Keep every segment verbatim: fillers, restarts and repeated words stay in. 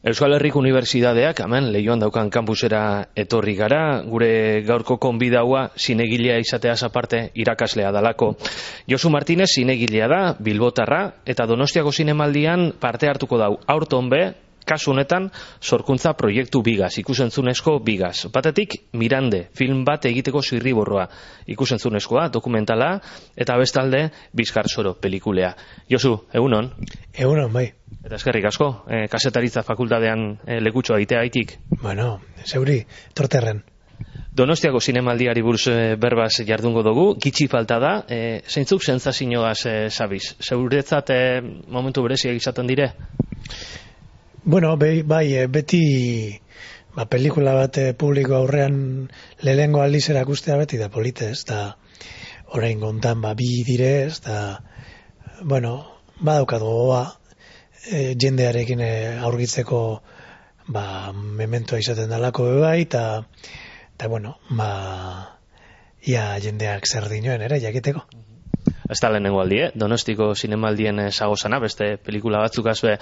Euskal Herriko Unibertsitateak hemen Leioan daukan kampusera etorri gara, gure gaurko konbidaua zinegilea izateaz aparte irakaslea dalako. Josu Martinez zinegilea da, bilbotarra, eta Donostiako zinemaldian parte hartuko dau aurton be, kasu honetan sorkuntza proiektu bigaz, ikusentzunezko bigaz. Batetik Mirande, film bat egiteko zirriborroa, ikusentzunezkoa, dokumentala, eta bestalde Bizkar Soro pelikulea. Josu, egunon? Egunon, bai. Eta eskerrik asko, eh, kasetaritza fakultatean eh, lekutxoa itea haitik. Bueno, zeuri, torterren. Donostiako zinemaldiari buruz eh, berbaz jardungo dugu, gitxi falta da, eh, zeintzuk sentsazioaz eh, zabiz? Zeuretzat eh, momentu bereziak izaten dire? Bueno, bai, bai beti ba, pelikula bat publiko aurrean lehengo aldiz erakustea beti da politez, eta orain gontan ba, bi direz, eta bueno, badaukat gogoa, e, jendearekin e, aurkitzeko ba, mementoa izaten dalako bai, eta eta bueno, ba, ia jendeak zer dinoen ere, jakiteko. Ez da lehenengo aldi, eh? Donostiko zinemaldien zagozana, beste pelikula batzuk azue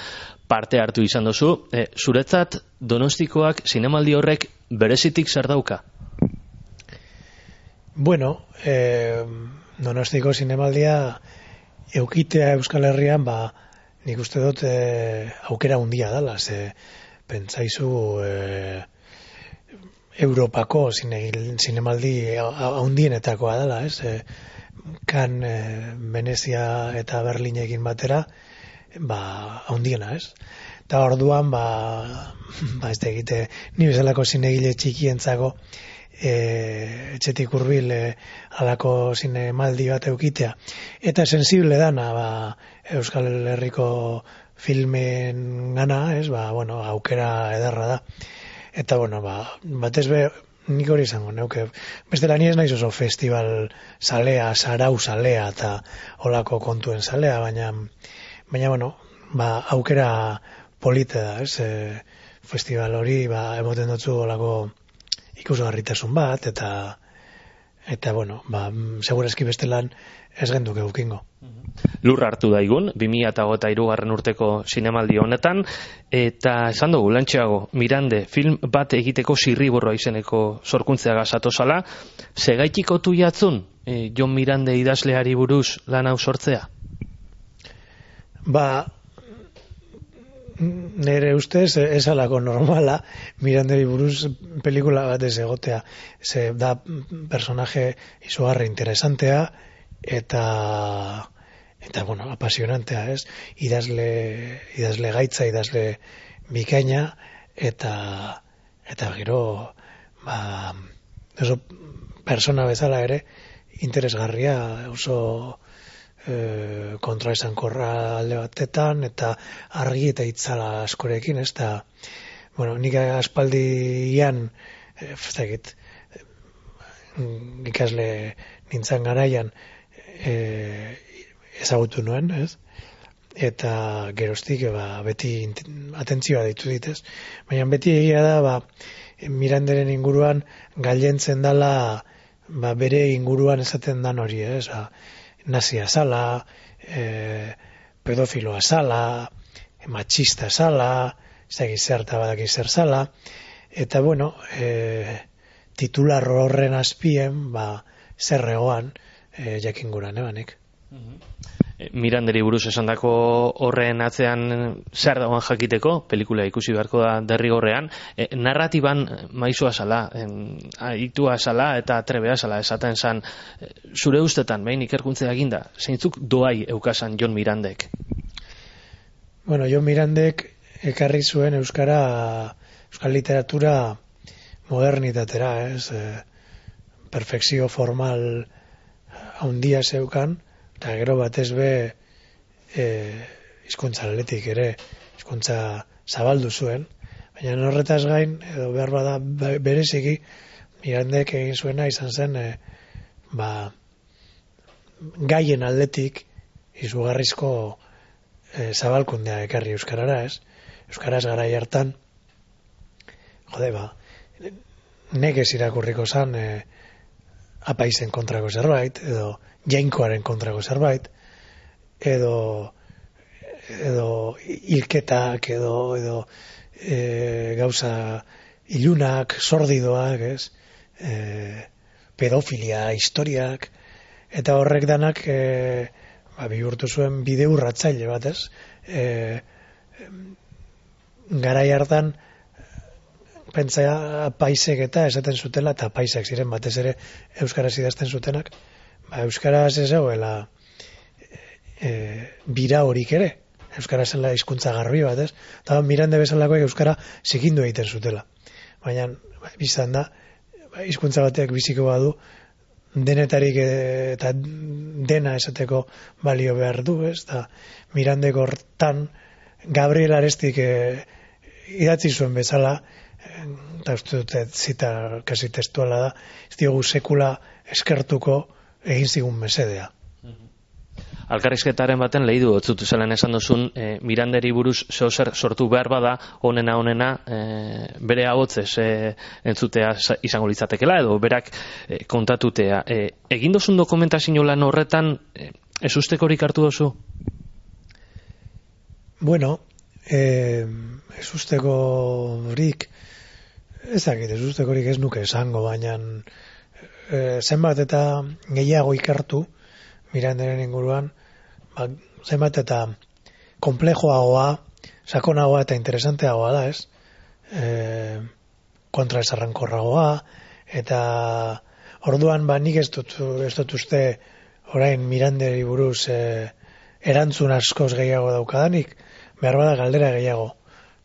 parte hartu izan dozu. E, zuretzat, Donostikoak zinemaldi horrek berezitik zer dauka? Bueno, eh, Donostiko zinemaldia eukitea Euskal Herrian, ba, nik uste dut eh, aukera handia dela, ze pentsaizu eh, Europako zine, zinemaldi handienetakoa dela, ez? E, kan e, Venezia eta Berlinekin batera ba handiena, ez? Eta orduan ba ba ez da egite ni bezalako zinegile txikientzako e, etxetik hurbil e, halako zinemaldi bat eukitea. Eta sensible dana ba Euskal Herriko filmen gana, ez? Ba bueno, aukera ederra da. Eta bueno, ba batez be nik hori izango, neuke. Bestela ni ez naiz oso festival salea, sarau salea eta olako kontuen salea, baina, baina bueno, ba, aukera polite da, ez? E, festival hori, ba, emoten dutzu olako ikusgarritasun bat, eta, eta bueno, ba, segurazki bestelan ez genduk eukingo. Lur hartu daigun, bi mila hogeita hirugarren urteko zinemaldi honetan, eta esan dugu, lantxeago, Mirande, film bat egiteko zirriborroa izeneko sorkuntzeaga zatozala, segaitik otu jatzun, e, Jon Mirande idazleari buruz lan hau sortzea? Ba, nire ustez, ez alako normala, Miranderi buruz pelikula bat ez egotea, ze da personaje izugarri interesantea, eta eta bueno, apasionantea, ez? Idazle, idazle gaitza, idazle bikaina, eta eta gero ba, oso persona bezala ere interesgarria, oso e, kontraesankorra alde batetan, eta argi eta itzala askorekin, ez da, bueno, nik aspaldian e, fezakit, ikasle nintzen garaian e, ezagutu nuen, ez? Eta geroztik ba, beti atentzioa ditu ditez. Baina beti egia da, ba, Miranderen inguruan gailentzen dala ba, bere inguruan esaten dan hori, ez? Ba, nazia zala, e, pedofiloa zala, machista zala, zagi zerta badaki zer zala, eta bueno, e, titular horren azpien, ba, zerregoan e, jakinguran, ebanik. Miranderi buruz esandako horren atzean zer dagoen jakiteko, pelikula ikusi beharko da derrigorrean, e, narratiban maizua zala, aitua zala eta trebea zala esaten zan, e, zure ustetan, behin ikerkuntzea eginda, zeintzuk doai eukasan Jon Mirandek? Bueno, Jon Mirandek ekarri zuen euskara, euskal literatura modernitatera, ez? E, perfekzio formal handia zeukan, eta gero batez be e, hizkuntza aldetik ere, hizkuntza zabaldu zuen, baina horretaz gain, edo behar bada bereziki, Mirandek egin zuena izan zen, e, ba, gaien aldetik izugarrizko e, zabalkundea ekarri euskarara, ez? Euskaraz garai hartan, jode, ba, nekez irakurriko zan, e, apaizen kontrako zerbait, edo jainkoaren kontrako zerbait, edo edo hilketak edo edo e, gauza ilunak, sordidoak, ez? E, pedofilia, historiak, eta horrek danak e, ba, bihurtu zuen bide urratzaile bat, ez? E, garai hartan pentsa paisek eta esaten zutela, eta paisek ziren batez ere euskaraz idazten zutenak, ba, euskaraz ez zegoela e, bira horik ere, euskara zela hizkuntza garbi bat, ez? Eta Mirande bezalakoek euskara zikindu egiten zutela. Baina, ba, biztan da, ba, hizkuntza batek biziko badu, denetarik eta dena esateko balio behar du, ez? Da, Mirandek hortan, Gabriel Arestik e, idatzi zuen bezala, eta uste dute zita kasi testuala da, ez diogu sekula eskertuko egin zigun mesedea. Alkarrizketaren baten lehi du otzutu zelan esan duzun, e, Miranderi buruz zeozer sortu behar bada, onena onena e, bere ahotzez e, entzutea izango litzatekela, edo berak e, kontatutea. E, egin dozun dokumentazio lan horretan, e, ez ustekorik hartu dozu? Bueno, e, ez ustekorik, ez dakit, ez ustekorik ez nuke esango, baina e, zenbat eta gehiago ikartu Miranderen inguruan, ba, zenbat eta komplejoagoa, sakonagoa eta interesanteagoa da, ez? E, kontra esarrankorragoa, eta orduan, ba, nik ez dut, ez dut uste orain Miranderi buruz e, erantzun askoz gehiago daukadanik, behar bada galdera gehiago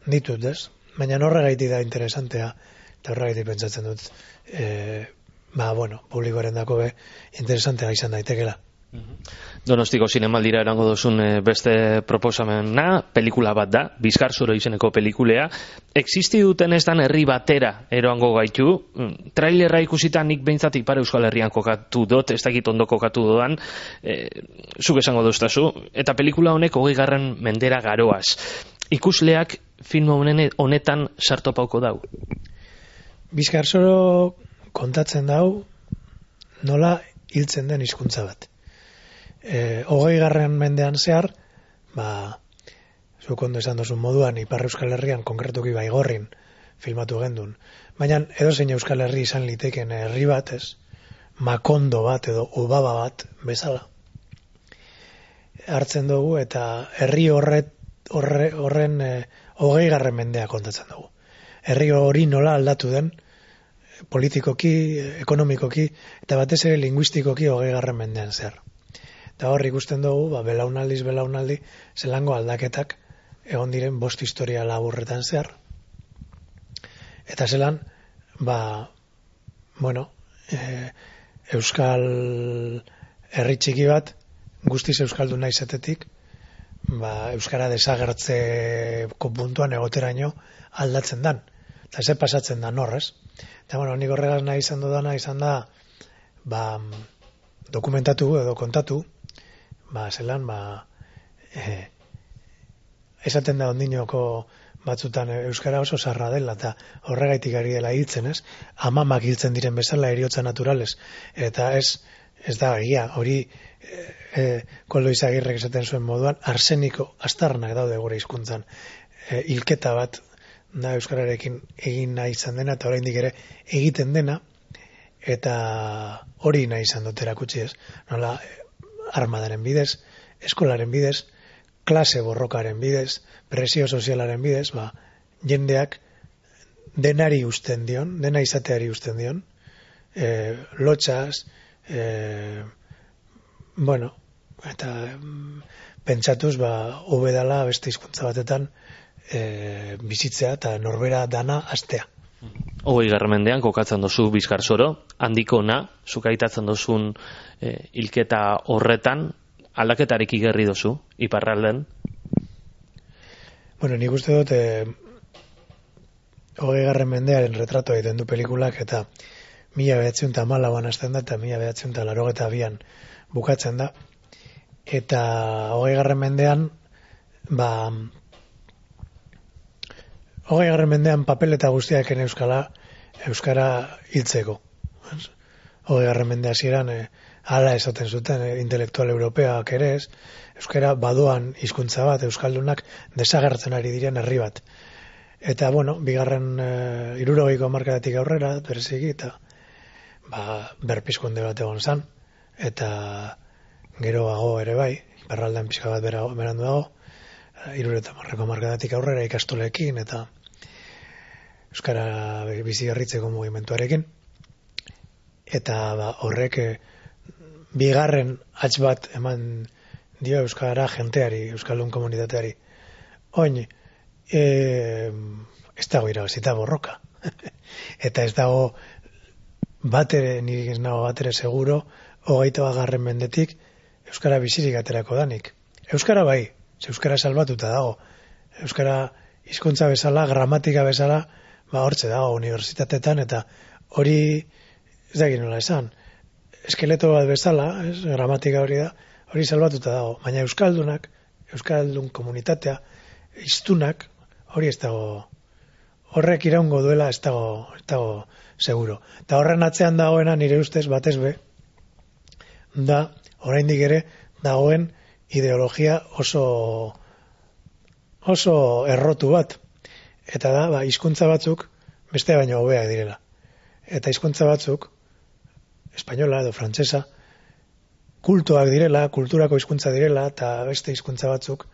ditut, ez? Baina horregaiti da interesantea, eta horregaiti pentsatzen dut, e, ba, bueno, publikoaren dako be, interesantea izan daitekela. Donostiko zinemaldira erango duzun beste proposamena, pelikula bat da, Bizkarzoro izeneko pelikulea. Existi duten ez dan herri batera eroango gaitu. Trailerra ikusita nik behintzat Ipar Euskal Herrian kokatu dut, ez dakit ondo kokatu doan, e, zuk esango duztazu. Eta pelikula honek hogei garren mendera garoaz. Ikusleak film honetan sartu pauko dau? Bizkarzoro kontatzen dau nola hiltzen den hizkuntza bat. E, hogei garren mendean zehar, ba, zuk ondo esan dozun moduan, Ipar Euskal Herrian, konkretuki Baigorrin filmatu gendun. Baina edozein Euskal Herri izan liteken herri bat, ez, Makondo bat edo Ubaba bat bezala. Hartzen dugu eta herri horret, horre, horren e, hogei garren mendea kontatzen dugu. Herri hori nola aldatu den, politikoki, ekonomikoki, eta batez ere linguistikoki hogei garren mendean zehar. Eta hor ikusten dugu, ba, belaunaldiz belaunaldi, zelango aldaketak egon diren bost historia laburretan zehar. Eta zelan, ba, bueno, e, Euskal herri txiki bat, guztiz euskalduna izatetik, ba, Euskara desagertzeko puntuan egoteraino aldatzen dan. Eta ze pasatzen da norrez. Eta, bueno, nik horregaz nahi izan dudana izan da, ba, dokumentatu edo kontatu, ba, zelan, ba, e, esaten da ondinoko batzutan euskara oso zarra dela, eta horregaitik ari dela hiltzen, ez? Amamak hiltzen diren bezala heriotza naturales, eta ez, ez da egia, hori e, e, Koldo Izagirrek esaten zuen moduan, arseniko astarnak daude gure hizkuntzan, e, hilketa bat da euskararekin egin nahi izan dena, eta oraindik ere egiten dena, eta hori nahi izan dut erakutsi, ez? Nola, armadaren bidez, eskolaren bidez, klase borrokaren bidez, presio sozialaren bidez, ba, jendeak denari usten dion, dena izateari usten dion, e, lotxaz, e, bueno, eta mm, pentsatuz, ba, hobedala beste hizkuntza batetan e, bizitzea eta norbera dana astea. Hogei garren mendean kokatzen dozu Bizkarzoro, handiko na, zuk aitatzen dozun e, hilketa horretan, aldaketarik igerri dozu, iparralden? Bueno, nik uste dut, e, hogei garren mendearen retrato egiten du pelikulak, eta mila behatziun eta malauan hasten da, eta mila behatziun eta larogeta bian bukatzen da. Eta hogei garren mendean, ba, hogei garren mendean papel eta guztiaken euskala, euskara hiltzeko. Hogei garren mendea hasieran e, hala esaten zuten e, intelektual europeak ere ez, euskara badoan hizkuntza bat, euskaldunak desagertzen ari diren herri bat. Eta, bueno, bigarren e, irurogeiko hamarkadatik aurrera, bereziki, eta ba, berpizkunde bat egon zan, eta geroago ere bai, iparraldean pixka bat bera, berandu dago, irureta marreko hamarkadatik aurrera ikastolekin, eta euskara bizi garritzeko mugimenduarekin, eta ba, horrek e, bigarren hatz bat eman dio euskara jenteari, euskaldun komunitateari. Oin, e, ez dago irabazita borroka. Eta ez dago batere, nik ez nago batere seguro, hogeita bagarren mendetik euskara bizirik aterako danik. Euskara bai, ze euskara salbatuta dago. Euskara hizkuntza bezala, gramatika bezala, ba hortze dago unibertsitatetan, eta hori, ez da nola esan, eskeleto bat bezala, ez, gramatika hori da, hori salbatuta dago. Baina euskaldunak, euskaldun komunitatea, hiztunak, hori ez dago, horrek iraungo duela ez dago, ez dago seguro. Eta horren atzean dagoena nire ustez batez be, da, oraindik ere, dagoen ideologia oso oso errotu bat. Eta da, ba, hizkuntza batzuk beste baino hobeak direla. Eta hizkuntza batzuk, espainola edo frantsesa, kultuak direla, kulturako hizkuntza direla, eta beste hizkuntza batzuk,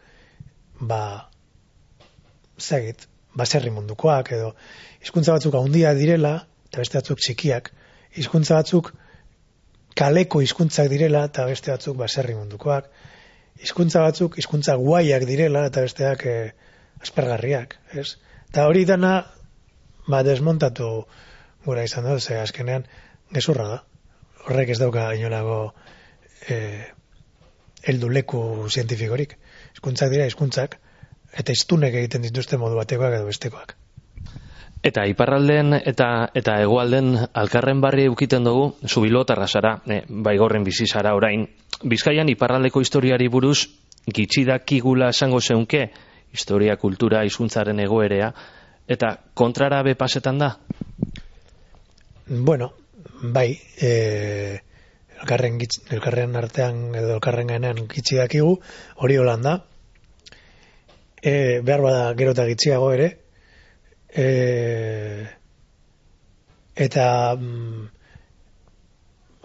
ba, zagit, baserri mundukoak, edo hizkuntza batzuk handiak direla, eta beste batzuk txikiak, hizkuntza batzuk kaleko hizkuntzak direla, eta beste batzuk baserri mundukoak, hizkuntza batzuk hizkuntza guaiak direla, eta besteak eh, aspergarriak, ez? Eta hori dana, ba, desmontatu gura izan dut, ze azkenean gezurra da. Horrek ez dauka inolako eh, heldu leku zientifikorik. Hizkuntzak dira hizkuntzak, eta hiztunek egiten dituzte modu batekoak edo bestekoak. Eta iparralden eta eta hegoalden alkarren barri eukiten dugu, zubilotarra zara, e, baigorren bizi zara orain. Bizkaian iparraldeko historiari buruz gitxidakigula esango zeunke, historia, kultura, hizkuntzaren egoerea, eta kontrara be pasetan da? Bueno, bai, e, elkarren, gitz, elkarren artean edo elkarren gainean gitxidakigu, hori holan da. E, behar bada gero eta gitxiago ere, e, eta mm,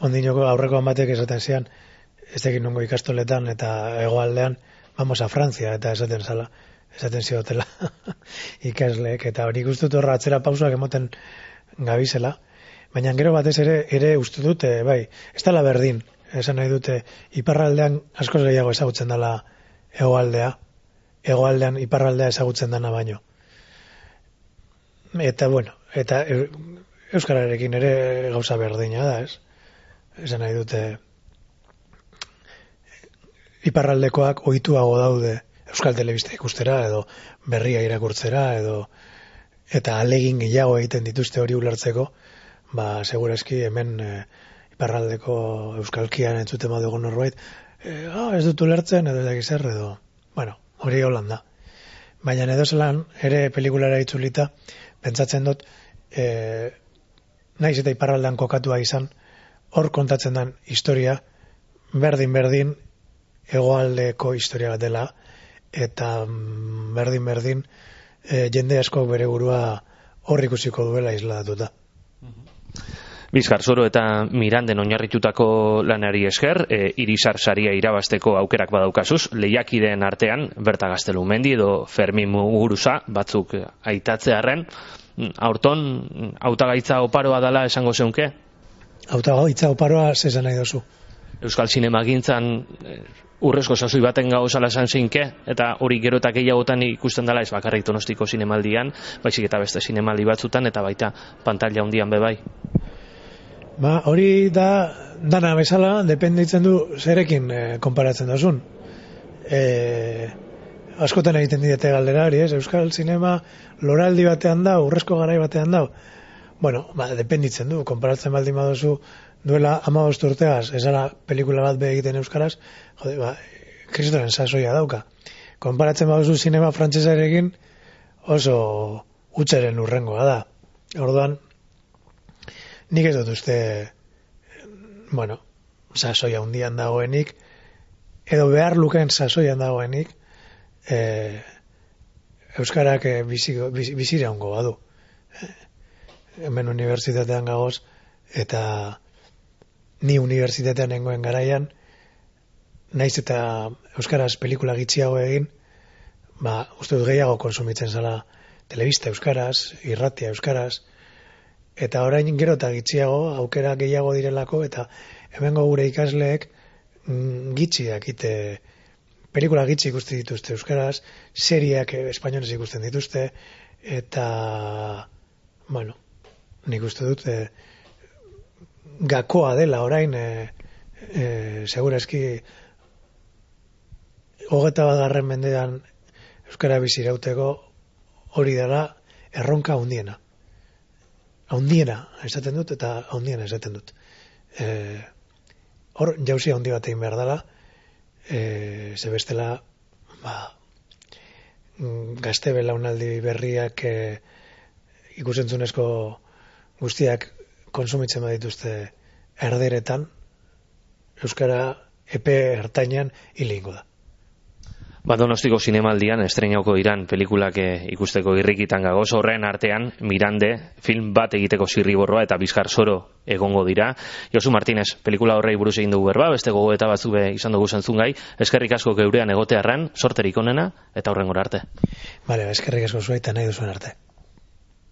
ondinoko aurrekoan batek esaten zian, ez tekin nongo ikastoletan eta hegoaldean, vamos a Francia, eta esaten zala, esaten ziotela ikasleek, eta hori guztut horra atzera pausak emoten gabizela, baina gero batez ere, ere uste dute, bai, ez dela berdin, esan nahi dute, iparraldean askoz gehiago ezagutzen dela hegoaldea, hegoaldean iparraldea ezagutzen dana baino. Eta, bueno, eta euskararekin ere gauza berdina da, ez? Esan nahi dute, iparraldekoak ohituago daude euskal telebista ikustera, edo berria irakurtzera, edo eta alegin gehiago egiten dituzte hori ulertzeko, ba, segurazki hemen e, iparraldeko euskalkian entzuten badugu norbait, e, ah, ez dut ulertzen, edo ez zer, edo, bueno, hori holan da. Baina edo zelan, ere pelikulara itzulita, pentsatzen dut, e, naiz eta iparraldean kokatua izan, hor kontatzen den historia, berdin-berdin, hegoaldeko historia bat dela, eta berdin-berdin, e, jende asko bere burua hor ikusiko duela isladatuta. Bizkar Zoro eta Miranden oinarritutako lanari esker, e, Irisar saria irabazteko aukerak badaukazuz, lehiakideen artean, Berta Gaztelumendi edo Fermin Muguruza, batzuk aitatzearren, aurton, hautagaitza oparoa dela esango zeunke? Hautagaitza oparoa zesan nahi dozu. Euskal Zinemagintzan e, urrezko sasoi baten gauzala esan zeinke, eta hori gero eta gehiagotan ikusten dela ez bakarrik Donostiko zinemaldian, baizik eta beste zinemaldi batzutan, eta baita pantalla handian bebai. Ba, hori da, dana bezala, dependitzen du zerekin e, konparatzen dozun. E, askotan egiten didete galdera hori, ez? Euskal Zinema loraldi batean da, urrezko garai batean da. Bueno, ba, dependitzen du, konparatzen baldin baduzu duela hamabost urteaz, ezala pelikula bat be egiten euskaraz, jode, ba, kristoren sasoia dauka. Konparatzen baduzu zinema frantsesarekin oso hutsaren urrengoa da. Orduan, nik ez dut uste, bueno, sasoia hundian dagoenik, edo behar lukeen sasoian dagoenik, e, Euskarak eh, bizi, bizi, bizira hongo badu. Hemen unibertsitatean gagoz, eta ni unibertsitatean nengoen garaian, naiz eta euskaraz pelikula gitxiago egin, ba, uste dut gehiago konsumitzen zala telebista euskaraz, irratia euskaraz, eta orain gero eta gitxiago, aukera gehiago direlako, eta hemengo gure ikasleek mm, gitxi dakite, pelikula gitxi ikusten dituzte euskaraz, seriak espainolez ikusten dituzte, eta, bueno, nik uste dut, e, gakoa dela orain, e, e, segurazki, hogeta bagarren mendean euskara bizirauteko hori dela erronka handiena. Handiena esaten dut eta handiena esaten dut. E, hor jauzi handi bat egin behar dela, e, ze bestela ba, gazte belaunaldi berriak e, ikusentzunezko guztiak konsumitzen badituzte erderetan, euskara epe ertainan hilingo da. Ba, Donostiko zinemaldian estreinauko diran pelikulak ikusteko irrikitan gagoz, horren artean Mirande film bat egiteko zirriborroa eta Bizkar Soro egongo dira. Josu Martinez, pelikula horrei buruz egin dugu berba, beste gogoeta batzuk izan dugu zentzungai, eskerrik asko geurean egotearran, sorterik onena eta horrengora arte. Bale, eskerrik asko zuaita nahi duzuen arte.